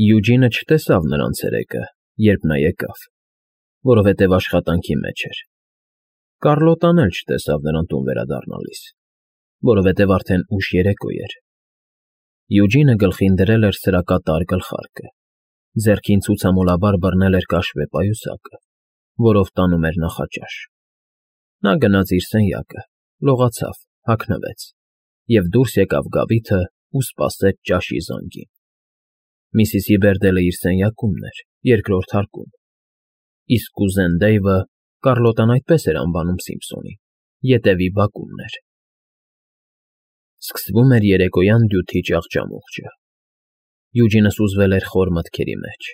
Յուջինը չտեսավ նրան ցերեկը, երբ նա եկավ, որովհետև աշխատանքի մեջ էր. Կառլոտան էլ չտեսավ նրան տուն վերադառնալիս, որովհետև արդեն ուշ երեկո էր։ Յուջինը գլխին դրել էր սրակատար գլխարկը, ձեռքին ցուցամոլաբար բռնել էր կաշվե պայուսակը, որով տանում էր նախաճաշ։ Նա գնաց իր սենյակը, լողացավ, հագնվեց և դուրս եկավ գավիթը ու սպասեց ճաշի զանգին։ Միսիս Հիբերդելը իր սենյակումն էր, երկրորդ հարկում, իսկ կուզեն Դեյվը (Կառլոտան այդպես էր անվանում Սիմփսոնին) ետևի բակումն էր։ Սկսվում էր երեկոյան դյութի ճախճամուղջը։ Յուջինը սուզվել էր խոր մտքերի մեջ։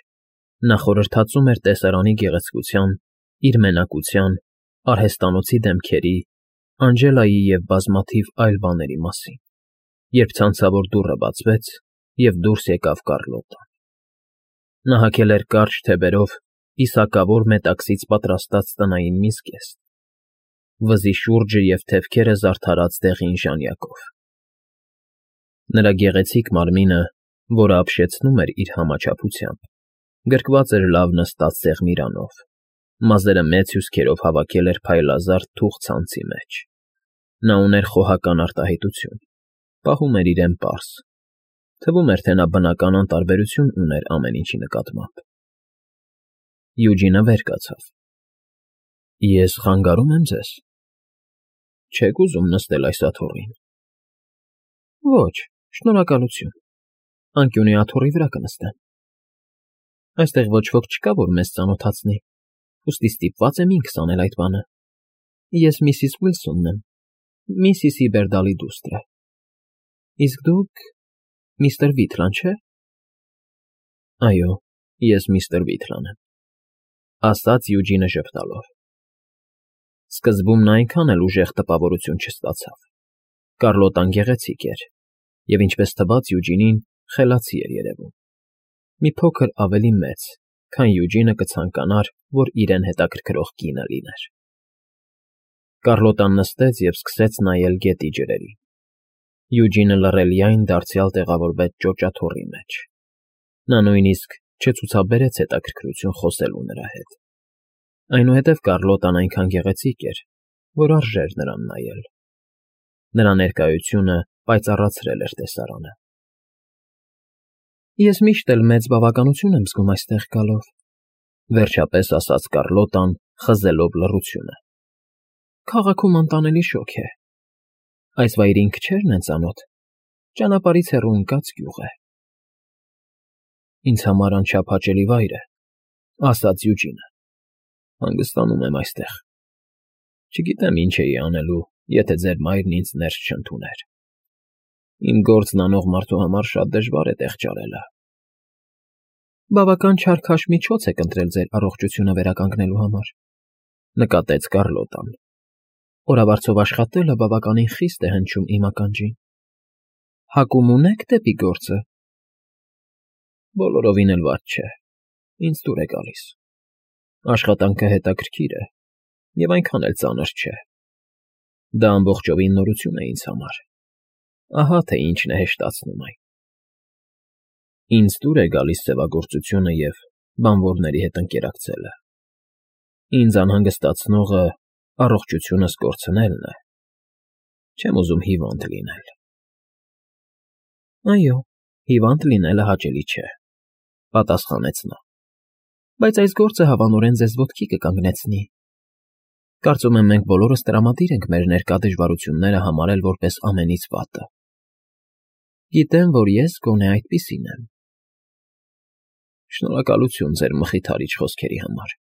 Նա խորհրդածում էր տեսարանի գեղեցկության, իր մենակության, արհեստանոցի դեմքերի, Անջելայի և բազմաթիվ այլ բաների մասին, երբ ցանցավոր դուռը բացվեց, և դուրս եկավ Կառլոտան։ Նա հագել էր կարճ թեբերով իսակավոր մետաքսից պատրաստած տնային միսկեստ, վզի շուրջը և թևքերը զարդարած դեղին ժանյակով։ Նրա գեղեցիկ մարմինը, որը ապշեցնում էր իր համաչափությամբ, գրկված էր լավ նստած սեղմիրանով, մազերը մեծ հյուսքերով հավաքել էր փայլազարդ թուխ ցանցի մեջ։ Նա ուներ խոհական արտահայտություն, պահում էր իրեն պարզ, թվում էր, թե նա բնական անտարբերություն ուներ ամեն ինչի նկատմամբ։ Յուջինը վեր կացավ։ Ես խանգարում եմ ձեզ։ Չեք ուզում նստել այս աթոռին։ Ոչ, շնորհակալություն, անկյունի աթոռի վրա կնստեմ։ Այստեղ ոչ ոք չկա, որ մեզ ծանոթացնի, ուստի ստիպված եմ ինքս անել այդ բանը։ Ես միսիս Ուիլսոնն եմ, միսիս Հիբերդալի դուստրը։ Իսկ դուք միստր Վիթլան, չէ՞։ Այո, ես միստր Վիթլան եմ, ասաց Յուջինը ժպտալով։ Սկզբում նա այնքան էլ ուժեղ տպավորություն չստացավ։ Կառլոտան գեղեցիկ էր, և ինչպես թվաց Յուջինին, խելացի էր երևում։ Մի փոքր ավելի մեծ, քան Յուջինը կցանկանար, որ իրեն հետաքրքրող կինը լիներ։ Կառլոտան նստեց և սկսեց նայել գետի ջրերին։ Յուջինը լռելիայն դարձյալ տեղավորվեց ճոճաթոռի մեջ։ Նա նույնիսկ չցուցաբերեց հետաքրքրություն խոսելու նրա հետ։ Այնուհետև Կառլոտան այնքան գեղեցիկ էր, որ արժեր նրան նայել։ Նրա ներկայությունը պայծառացրել էր տեսարանը։ Ես միշտ էլ մեծ բավականություն եմ զգում այստեղ գալով, վերջապես ասաց Կառլոտան, խզելով լռությունը։ Քաղաքում անտանելի շոգ է։ Այս վայրի քչերն են ծանոթ, ճանապարհից հեռու ընկած գյուղ է։ Ինձ համար անչափ հաճելի վայր է, ասաց Յուջինը։ Հանգստանում եմ այստեղ։ Չգիտեմ ինչ էի անելու, եթե ձեր մայրն ինձ ներս չընդուներ։ Իմ գործն անող մարդու համար շատ դժվար է տեղ ճարելը։ Բավական չար քաշմիջոց եք ընտրել ձեր առողջությունը վերականգնելու համար, նկատեց Կառլոտան։ Օրավարձով աշխատելը բավականին խիստ է հնչում իմ ականջին։ Հակում ունեք դեպի գործը։ Բոլորովին էլ վատ չէ, ինձ դուր է գալիս։ Աշխատանքը հետաքրքիր է և այնքան էլ ծանր չէ։ Դա ամբողջովին նորություն է ինձ համար։ Ահա թե ինչն է հեշտացնում այն։ Ինձ դուր է գալիս սևագործությունը և բանվորների հետ ընկերակցելը։ Ինձ անհանգստացնողը առողջությունս կորցնելն է։ Չեմ ուզում հիվանդ լինել։ Այո, հիվանդ լինելը հաճելի չէ, պատասխանեց նա։ Բայց այս գործը հավանորեն ձեզ ոտքի կկանգնեցնի։ Կարծում եմ մենք բոլորս տրամադիր ենք մեր ներկա դժվարությունները համարել որպես ամենից վատը։ Գիտեմ, որ ես գոնե այդպիսին եմ։ Շնորհակալություն ձեր մխիթարիչ խոսքերի համար,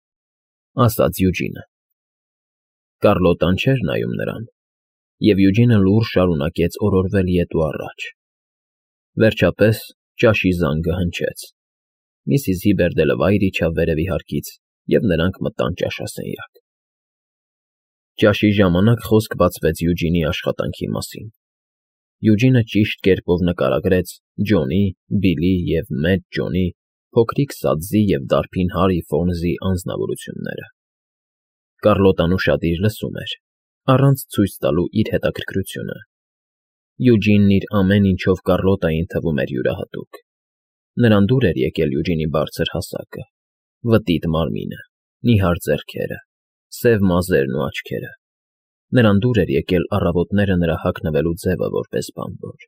ասաց Յուջինը։ Կառլոտան չէր նայում նրան, և Յուջինը լուռ շարունակեց օրորվել ետ ու առաջ։ Վերջապես ճաշի զանգը հնչեց։ Միսիս Հիբերդելը վայր իջավ վերևի հարկից, և նրանք մտան ճաշասենյակ։ Ճաշի ժամանակ խոսք բացվեց Յուջինի աշխատանքի մասին։ Յուջինը ճիշտ կերպով նկարագրեց Ջոնի, Բիլի և Մեծ Ջոնի, փոքրիկ սադզի և դարբին Հարի Ֆոնզի անձնավորությունները։ Կառլոտան ուշադիր լսում էր, առանց ցույց տալու իր հետաքրքրությունը։ Յուջինն իր ամեն ինչով Կառլոտային թվում էր յուրահատուկ։ Նրան դուր էր եկել Յուջինի բարձր հասակը, վտիտ մարմինը, նիհար ձեռքերը, սև մազերն ու աչքերը։ Նրան դուր էր եկել առավոտները նրա հագնվելու ձևը որպես բանվոր,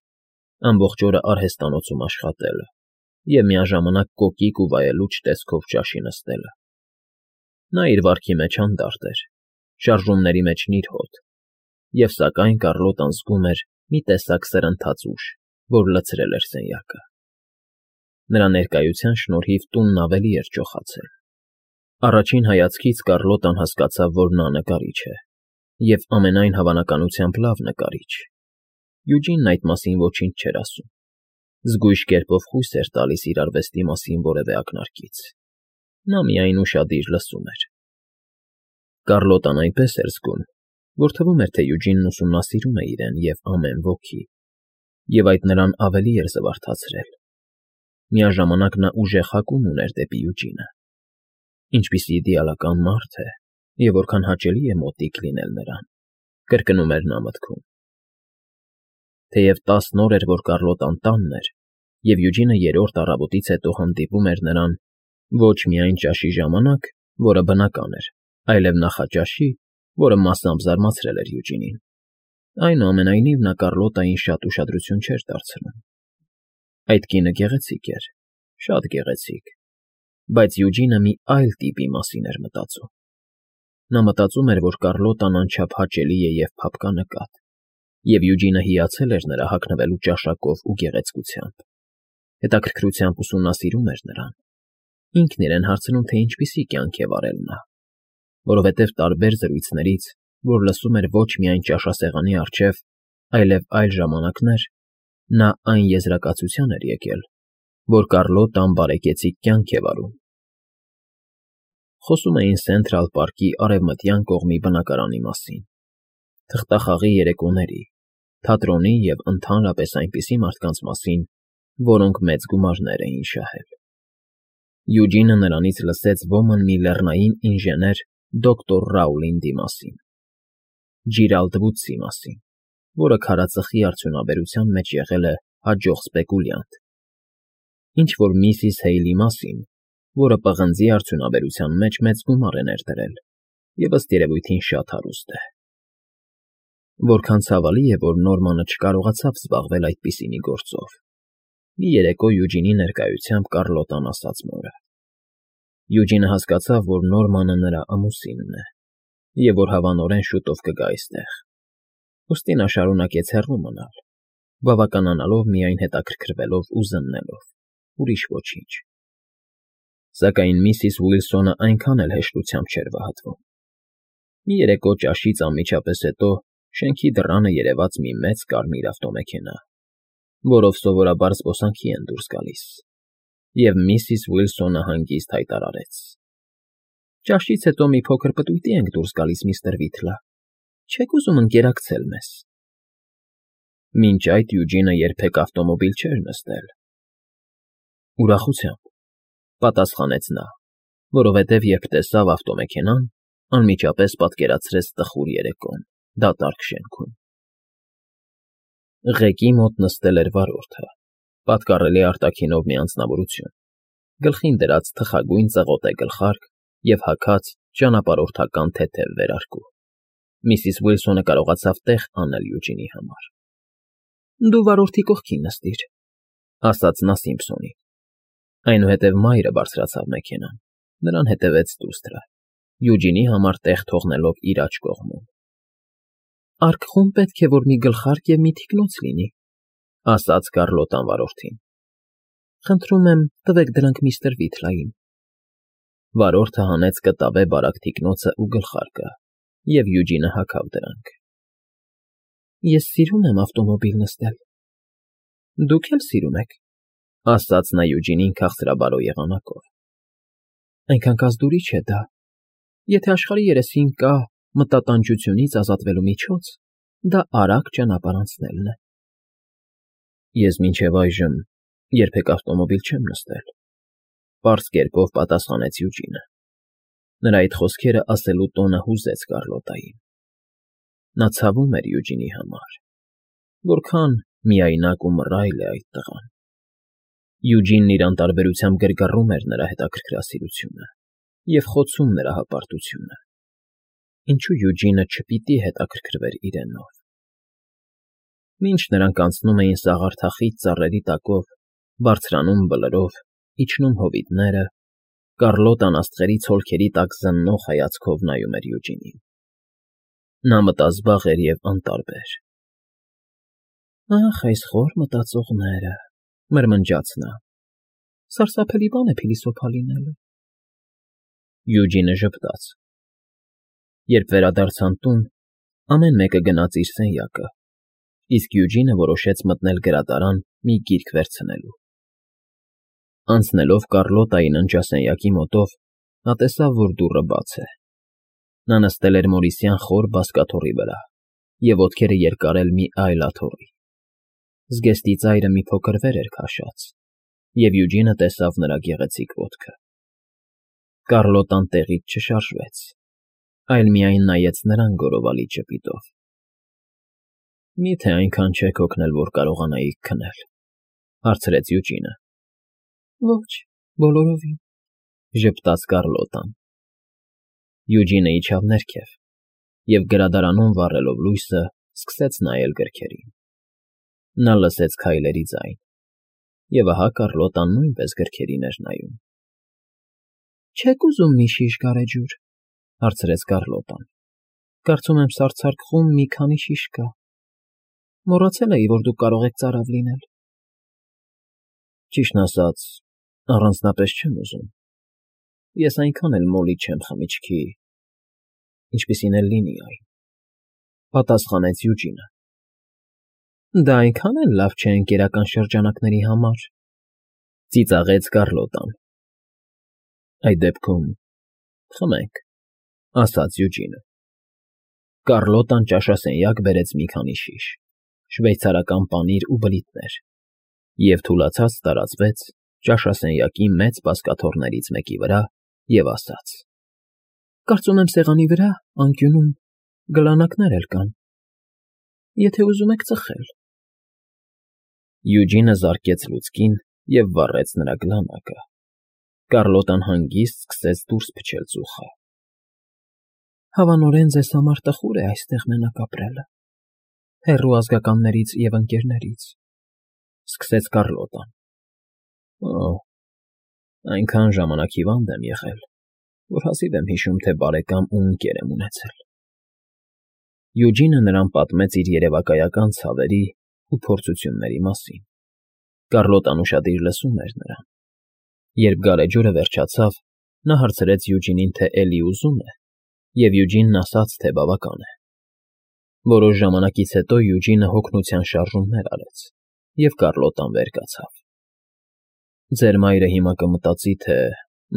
ամբողջ օրը արհեստանոցում աշխատելը և միաժամանակ կոկիկ ու վայելուչ տեսքով ճաշի նստելը։ Նա իր վարքի մեջ հանդարտ էր, շարժումների մեջ նիրհոտ, և սակայն Կառլոտան զգում էր մի տեսակ սրընթաց ուժ, որ լցրել էր սենյակը։ Նրա ներկայության շնորհիվ տունն ավելի էր ջոխացել։ Առաջին հայացքից Կառլոտան հասկացավ, որ նա նկարիչ է, և ամենայն հավանականությամբ լավ նկարիչ։ Յուջինն այդ մասին ոչինչ չէր ասում։ Զգույշ կերպով խույս էր տալիս իր արվեստի մասին որևէ ակնարկից։ Նա միայն ուշադիր լսում էր։ Կառլոտան այնպես էր զգում, որ թվում էր, թե Յուջինն ուսումնասիրում է իրեն և ամեն ոգի, և այդ նրան ավելի էր զվարթացրել։ Միաժամանակ նա ուժեղ հակում ուներ դեպի Յուջինը։ Ինչպիսի իդեալական մարդ է, և որքան հաճելի է մոտիկ լինել նրան, կրկնում էր նա մտքում։ Թեև 10 օր էր, որ Կառլոտան տանն էր, և Յուջինը երրորդ առավոտից հետո հանդիպում էր նրան ոչ միայն ճաշի ժամանակ, որը բնական էր, այլև նախաճաշի, որը մասամբ զարմացրել էր Յուջինին։ Այնուամենայնիվ նա Կառլոտային շատ ուշադրություն չէր դարձնում։ Այդ կինը գեղեցիկ էր, շատ գեղեցիկ, բայց Յուջինը մի այլ տիպի մասին էր մտածում։ Նա մտածում էր, որ Կառլոտան անչափ հաճելի է և փափկանկատ, և Յուջինը հիացել էր նրա հագնվելու ճաշակով ու գեղեցկությամբ։ Հետաքրքրությամբ ուսումնասիրում էր նրան։ Ինքն իրեն հարցնում, թե ինչպիսի կյանք է վարել նա, որովհետև տարբեր զրույցներից, որ լսում էր ոչ միայն ճաշասեղանի առջև, այլև այլ ժամանակներ, նա այն եզրակացության էր եկել, որ Կառլոտան բարեկեցիկ կյանք է վարում։ Խոսում էին Սենթրալ պարկի արևմտյան կողմի բնակարանի մասին, թղթախաղի երեկոների, թատրոնի և ընդհանրապես այնպիսի մարդկանց մասին, որոնք մեծ գումարներ էին շահել։ Յուջինը նրանից լսեց ոմն մի լեռնային ինժեներ դոկտոր Ռաուլինդի մասին, Ջիրալդ Վուդսի մասին, որը քարածխի արդյունաբերության մեջ եղել է հաջող սպեկուլյանտ, ինչ֊որ միսիս Հեյլի մասին, որը պղնձի արդյունաբերության մեջ մեծ գումար է ներդրել և ըստ երևույթին շատ հարուստ է։ Որքան ցավալի է, որ Նորմանը չկարողացավ զբաղվել այդպիսի մի գործով, մի երեկո Յուջինի ներկայությամբ Կառլոտան ասաց մորը։ Յուջինը հասկացավ, որ Նորմանը նրա ամուսինն է, և որ հավանորեն շուտով կգա այստեղ։ Ուստի նա շարունակեց հեռու մնալ, բավականանալով միայն հետաքրքրվելով ու զննելով, ուրիշ ոչինչ։ Սակայն միսիս Ուիլսոնը այնքան էլ հեշտությամբ չէր վհատվում։ Մի երեկո ճաշից անմիջապես հետո շենքի դռանը երևաց մի մեծ կարմիր ավտոմեքենա, որով սովորաբար զբոսանքի են դուրս գալիս, և միսիս Ուիլսոնը հանգիստ հայտարարեց. «Ճաշից հետո մի փոքր պտույտի ենք դուրս գալիս, միստր Վիթլը, չե՞ք ուզում ընկերակցել մեզ»։ Մինչ այդ Յուջինը երբեք ավտոմոբիլ չէր նստել։ Ուրախությամբ, պատասխանեց նա, որովհետև երբ տեսավ ավտոմեքենան, անմիջապես պատկերացրեց տխուր երեկոն դատարկ շենքում։ Ղեկի մոտ նստել էր վարորդը, պատկառելի արտաքինով մի անձնավորություն, գլխին դրած թխագույն ծղոտե գլխարկ և հագած ճանապարհորդական թեթև վերարկու։ Միսիս Ուիլսոնը կարողացավ տեղ անել Յուջինի համար։ «Դու վարորդի կողքին նստիր», ասաց նա Սիմփսոնին։ Այնուհետև մայրը բարձրացավ մեքենան, նրան հետևեց դուստրը, Յուջինի համար տեղ թողնելով իր աջ կողմում։ «Արկղում պետք է որ մի գլխարկ և մի թիկնոց լինի», ասաց Կառլոտան վարորդին։ «Խնդրում եմ, տվեք դրանք միստր Վիթլային»։ Վարորդը հանեց կտավե բարակ թիկնոցը ու գլխարկը, և Յուջինը հագավ դրանք։ «Ես սիրում եմ ավտոմոբիլ նստել»։ «Դուք էլ սիրում եք», ասաց նա Յուջինին քաղցրաբարո եղանակով։ «Այնքան կազդուրիչ է դա։ Եթե աշխարհի երեսին կա մտատանջությունից ազատվելու միջոց, դա արագ ճանապարհ անցնելն է»։ «Ես մինչև այժմ երբեք ավտոմոբիլ չեմ նստել», պարզ կերպով պատասխանեց Յուջինը։ Նրա այդ խոսքերը ասելու տոնը հուզեց Կառլոտային։ Նա ցավում էր Յուջինի համար։ Որքան միայնակ ու մռայլ է այդ տղան։ Յուջինն իր անտարբերությամբ գրգռում էր նրա հետաքրքրասիրությունը և խոցում նրա հպարտությունը. ինչու Յուջինը չպիտի հետաքրքրվեր իրենով։ Մինչ նրանք անցնում էին սաղարթախիտ ծառերի տակով, բարձրանում բլրով, իջնում հովիտները, Կառլոտան աստղերի ցոլքերի տակ զննող հայացքով նայում էր Յուջինին։ Նա մտազբաղ էր և անտարբեր։ «Ախ, այս խոր մտածողները», մրմնջաց նա։ «Սարսափելի բան է փիլիսոփա լինելը»։ Յուջինը ժպտաց։ Երբ վերադարձան տուն, ամեն մեկը գնաց իր սենյակը, իսկ Յուջինը որոշեց մտնել գրադարան մի գիրք վերցնելու։ Անցնելով Կառլոտայի ննջասենյակի մոտով, նա տեսավ, որ դուռը բաց է։ Նա նստել էր մորիսյան խոր բազկաթոռի վրա և ոտքերը երկարել մի այլ աթոռի։ Զգեստի ծայրը մի փոքր վեր էր քաշած, և Յուջինը տեսավ նրա գեղեցիկ ոտքը։ Կառլոտան տեղից չշարժվեց, այլ միայն նայեց նրան գորովալի ճպիտով։ «Մի՞թե այնքան չեք հոգնել, որ կարողանայիք քնել», հարցրեց Յուջինը։ «Ոչ, բոլորովին», ժպտաց Կառլոտան։ Յուջինը իջավ ներքև և գրադարանում վառելով լույսը սկսեց նայել գրքերին։ Նա լսեց քայլերի ձայն, և ահա Կառլոտան նույնպես գրքերին էր նայում։ «Չե՞ք ուզում մի շիշ գարեջուր», հարցրեց Կառլոտան։ «Կարծում եմ սարսափ մի քանի շիշ կա։ Մոռացել էի, որ դուք կարող եք ծարավ լինել»։ «Ճիշտն ասած, առանձնապես չեմ ուզում։ Ես այնքան էլ մոլի չեմ խմիչքի, ինչպիսին էլ լինի այն», պատասխանեց Յուջինը։ «Դա այնքան էլ լավ չէ ընկերական շրջանակների համար», ծիծաղեց Կառլոտան։ «Այդ դեպքում խմենք», ասաց Յուջինը։ Կառլոտան ճաշասենյակ բերեց մի քանի շիշ, շվեյցարական պանիր ու բլիթներ, և թուլացած տարածվեց ճաշասենյակի մեծ բազկաթոռներից մեկի վրա և ասաց. «Կարծում եմ սեղանի վրա, անկյունում, գլանակներ էլ կան, եթե ուզում եք ծխել»։ Յուջինը զարկեց լուցկին և վառեց նրա գլանակը։ Կառլոտան հանգիստ սկսեց դուրս փչել ծուխը։ «Հավանորեն ձեզ համար տխուր է այստեղ մենակ ապրելը, հեռու ազգականներից և ընկերներից», սկսեց Կառլոտան։ «Օ, այնքան ժամանակ հիվանդ եմ եղել, որ հազիվ եմ հիշում, թե բարեկամ ու ընկեր եմ ունեցել»։ Յուջինը նրան պատմեց իր երևակայական ցավերի ու փորձությունների մասին։ Կառլոտան ուշադիր լսում էր նրան։ Երբ գարեջուրը վերջացավ, նա հարցրեց Յուջինին, թե էլի ուզում է, և Յուջինն ասաց, թե բավական է։ Որոշ ժամանակից հետո Յուջինը հոգնության շարժումներ արեց, և Կառլոտան վեր կացավ։ «Ձեր մայրը հիմա կմտածի, թե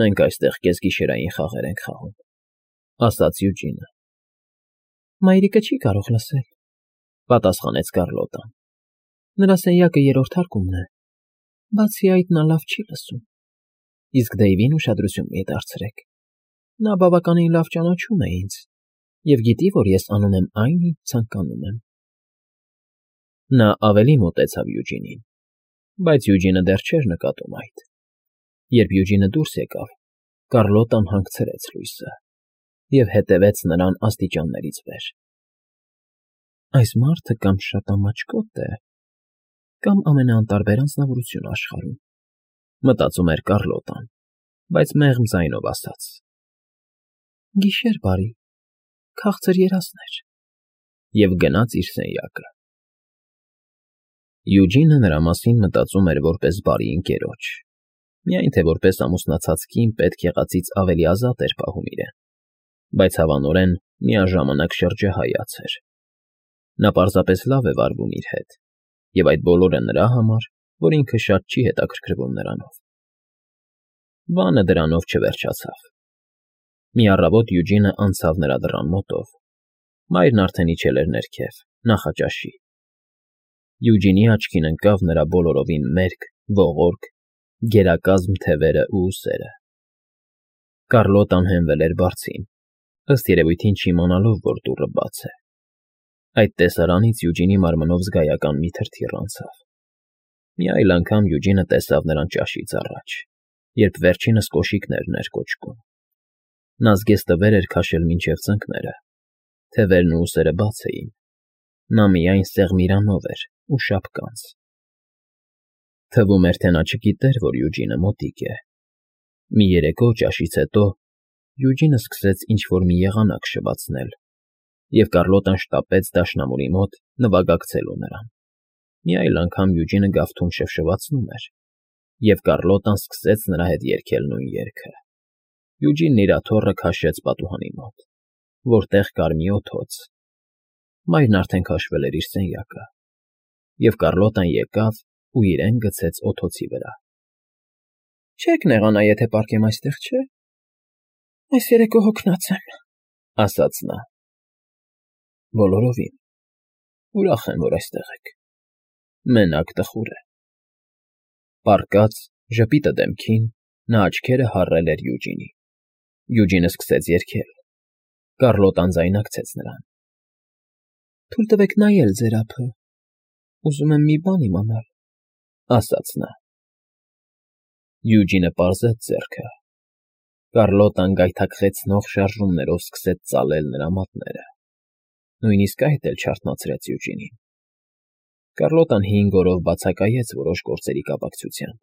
մենք այստեղ կեսգիշերային խաղեր ենք խաղում», ասաց Յուջինը։ «Մայրիկը չի կարող լսել», պատասխանեց Կառլոտան։ «Նրա սենյակը երրորդ հարկումն է, բացի այդ նա լավ չի լսում։ Իսկ Դեյվին ուշադրություն մի դարձրեք. նա բավականին լավ ճանաչում է ինձ և գիտի, որ ես անում եմ այն, ինչ ցանկանում եմ»։ Նա ավելի մոտեցավ Յուջինին, բայց Յուջինը դեռ չէր նկատում այդ։ Երբ Յուջինը դուրս եկավ, Կառլոտան հանգցրեց լույսը և հետևեց նրան աստիճաններից վեր։ «Այս մարդը կամ շատ ամաչկոտ է, կամ ամենաանտարբեր անձնավորությունը աշխարհում», մտածում էր Կառլոտան, բայց մեղմ ձայնով ասաց. «Գիշեր բարի, քաղցր երազներ», և գնաց իր սենյակը։ Յուջինը նրա մասին մտածում էր որպես բարի ընկերոջ, միայն թե որպես ամուսնացած կին պետք եղածից ավելի ազատ էր պահում իրեն, բայց հավանորեն միաժամանակ շրջահայաց էր։ Նա պարզապես լավ է վարվում իր հետ, և այդ բոլորը նրա համար, որ ինքը շատ չի հետաքրքրվում նրանով։ Բանը դրանով չվերջացավ։ Մի առավոտ Յուջինը անցավ նրա դռան մոտով։ Մայրն արդեն իջել էր ներքև, նախաճաշի։ Յուջինի աչքին ընկավ նրա բոլորովին մերկ, ողորկ, գերակազմ թևերն ու ուսերը։ Կառլոտան հենվել էր բարձին, ըստ երևույթին չիմանալով, որ դուռը բաց է։ Այդ տեսարանից Յուջինի մարմնով զգայական մի թրթիռ անցավ։ Մի այլ անգամ Յուջինը տեսավ նրան ճաշից առաջ, երբ վերջինս կոշիկներն էր կոճկում. նա զգեստվեր էր քաշել մինչև ծնկները, թևերն ու ուսերը բաց էին, նա միայն սեղմիրանով էր ու շապկանց. թվում էր, թե նա չգիտեր, որ Յուջինը մոտիկ է։ Մի երեկո ճաշից հետո Յուջինը սկսեց ինչ-որ մի եղանակ շվացնել, և Կարլոտան շտապեց դաշնամուրի մոտ նվագակցելու նրան։ Մի այլ անգամ Յուջինը գավթում շվշվացնում էր, և Կարլոտան սկսեց նրա հետ երգել նույն երգը։ Յուջինն իր աթոռը քաշեց պատուհանի մոտ, որտեղ կար մի օդոց։ Մայրն արդեն քաշվել էր իր սենյակը, և Կարլոտան եկավ ու իրեն գցեց օդոցի վրա։ Չեք նեղանա, եթե պառկեմ այստեղ, չէ՞։ Այս երեկո հոգնած եմ, ասաց նա։ Բոլորովին։ Ուրախ եմ, որ այստեղ եք։ Մենակ տխուր է։ Պառկած, ժպիտը դեմքին, նա աչքերը հառել էր Յուջինի։ Յուջինը սկսեց երգել։ Կարլոտան ձայնարկեց նրան։ Թույլ տվեք նայել ձեր ափը։ Ուզում եմ մի բան իմանալ, ասաց նա։ Յուջինը պարզեց ձեռքը։ Կարլոտան գայթակղեցնող շարժումներով սկսեց ծալել նրա մատները։ Նույնիսկ այդ էլ չարթնացրեց Յուջինին։ Կարլոտան 5 օրով բացակայեց որոշ գործերի կապակցությամբ,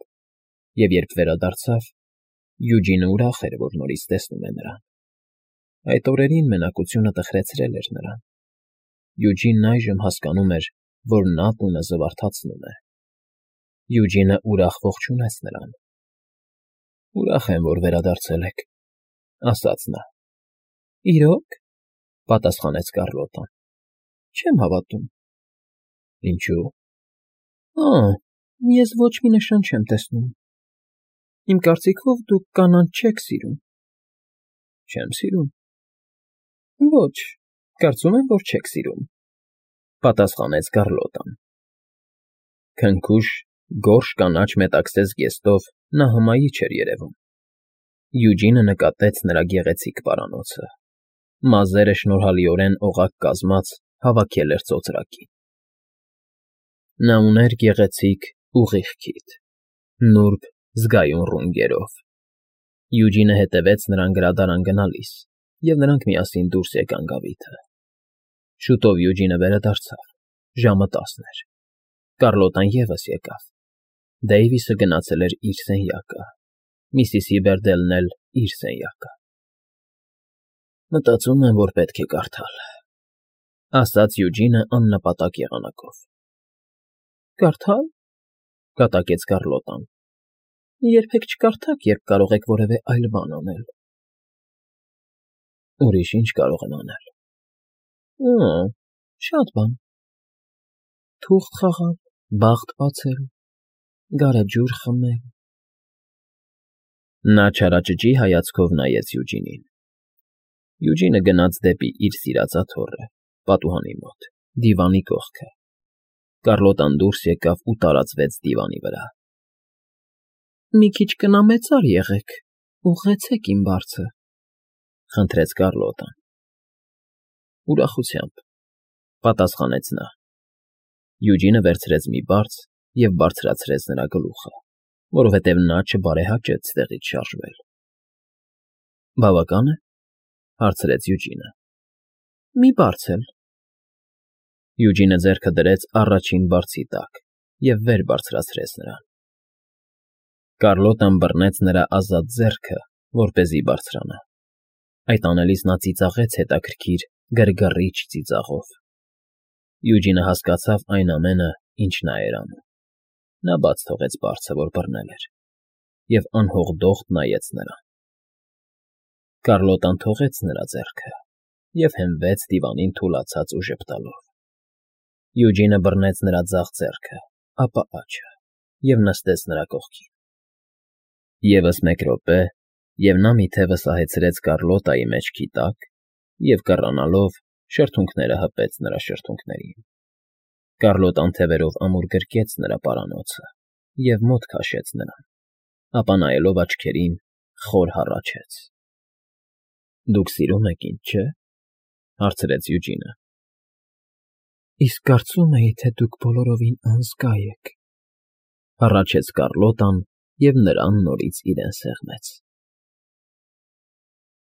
և երբ վերադարձավ, Յուջինը ուրախ էր, որ նորից տեսնում է նրան։ Այդ օրերին մենակությունը տխրեցրել էր նրան։ Յուջինն այժմ հասկանում էր, որ նա տունը զվարթացնում է։ Յուջինը ուրախ ողջունեց նրան։ Ուրախ եմ, որ վերադարձել եք, ասաց նա։ Իրո՞ք, պատասխանեց Կարլոտան։ Չեմ հավատում։ Ինչու՞։ Ես ոչ մի նշան չեմ տեսնում։ Իմ կարծիքով դուք կանանց չեք սիրում։ Չեմ սիրում։ Ոչ, կարծում եմ, որ չեք սիրում, պատասխանեց Կարլոտան։ Քնքուշ, գորշ կանաչ մետաքսե զգեստով նա հմայիչ էր երևում։ Յուջինը նկատեց նրա գեղեցիկ պարանոցը։ Մազերը շնորհալիորեն օղակ կազմած հավաքել էր ծոծրակին։ Նա ուներ գեղեցիկ, ուղիղ քիթ, նուրբ, զգայուն ռունգերով։ Յուջինը հետևեց նրան գրադարան գնալիս, և նրանք միասին դուրս եկան գավիթը։ Շուտով Յուջինը վերադարձավ, ժամը 10 էր։ Կարլոտան ևս եկավ։ Դեյվիսը գնացել էր իր սենյակը, Միսիսի Բերդելն էլ իր սենյակը։ Մտածում եմ, որ պետք է կարդալ, ասաց Յուջինը աննպատակ եղանակով։ Կարդալ, կատակեց Կարլոտան։ Երբեք չկարդաք, երբ կարող եք որևէ այլ բան անել։ Ուրիշ ինչ կարող եմ անել։ Շատ բան։ Թուղթ խաղալ, բախտ բացել, գարեջուր խմել։ Նա չարաճճի հայացքով նայեց Յուջինին։ Յուջինը գնաց դեպի իր սիրած աթոռը, պատուհանի մոտ, դիվանի կողքը։ Կարլոտան դուրս եկավ ու տարածվեց դիվանի վրա։ Մի քիչ կնամեցար եղեք, ուղղեցեք իմ բարձը, խնդրեց Կարլոտան։ Ուրախությամբ, պատասխանեց նա։ Յուջինը վերցրեց մի բարձ և բարձրացրեց նրա գլուխը, որովհետև նա չբարեհաճեց տեղից շարժվել։ Բավական է, հարցրեց Յուջինը։ Մի բարձ էլ։ Յուջինը ձեռքը դրեց առաջին բարձի տակ և վեր բարձրացրեց նրան։ Կարլոտան բռնեց նրա ազատ ձեռքը, որպեսզի բարձրանա։ Այդ անելիս նա ծիծաղեց հետաքրքիր, գրգռիչ ծիծաղով։ Յուջինը հասկացավ այն ամենը, ինչ նա էր անում։ Նա բաց թողեց բարձը, որ բռնել էր, և անհողդոխտ նայեց նրան։ Կարլոտան թողեց նրա ձեռքը և հենվեց դիվանին թուլացած ու ժպտալով։ Յուջինը բռնեց նրա ձախ ձեռքը, ապա աջը և նստեց նրա կողքին։ Եվս մեկ րոպե, և նա մի թևը սահեցրեց Կարլոտայի մեջքի տակ և, կռանալով, շրթունքները հպեց նրա շրթունքներին։ Կարլոտան թևերով ամուր գրկեց նրա պարանոցը և մոտ քաշեց նրան, ապա նայելով աչքերին, խոր հառաչեց։ Դուք սիրում եք ինձ, չէ՞, հարցրեց Յուջինը։ Իսկ կարծում էի, թե դուք բոլորովին անզգա եք։ Հառաչեց Կառլոտան, և նրան նորից իրեն սեղմեց։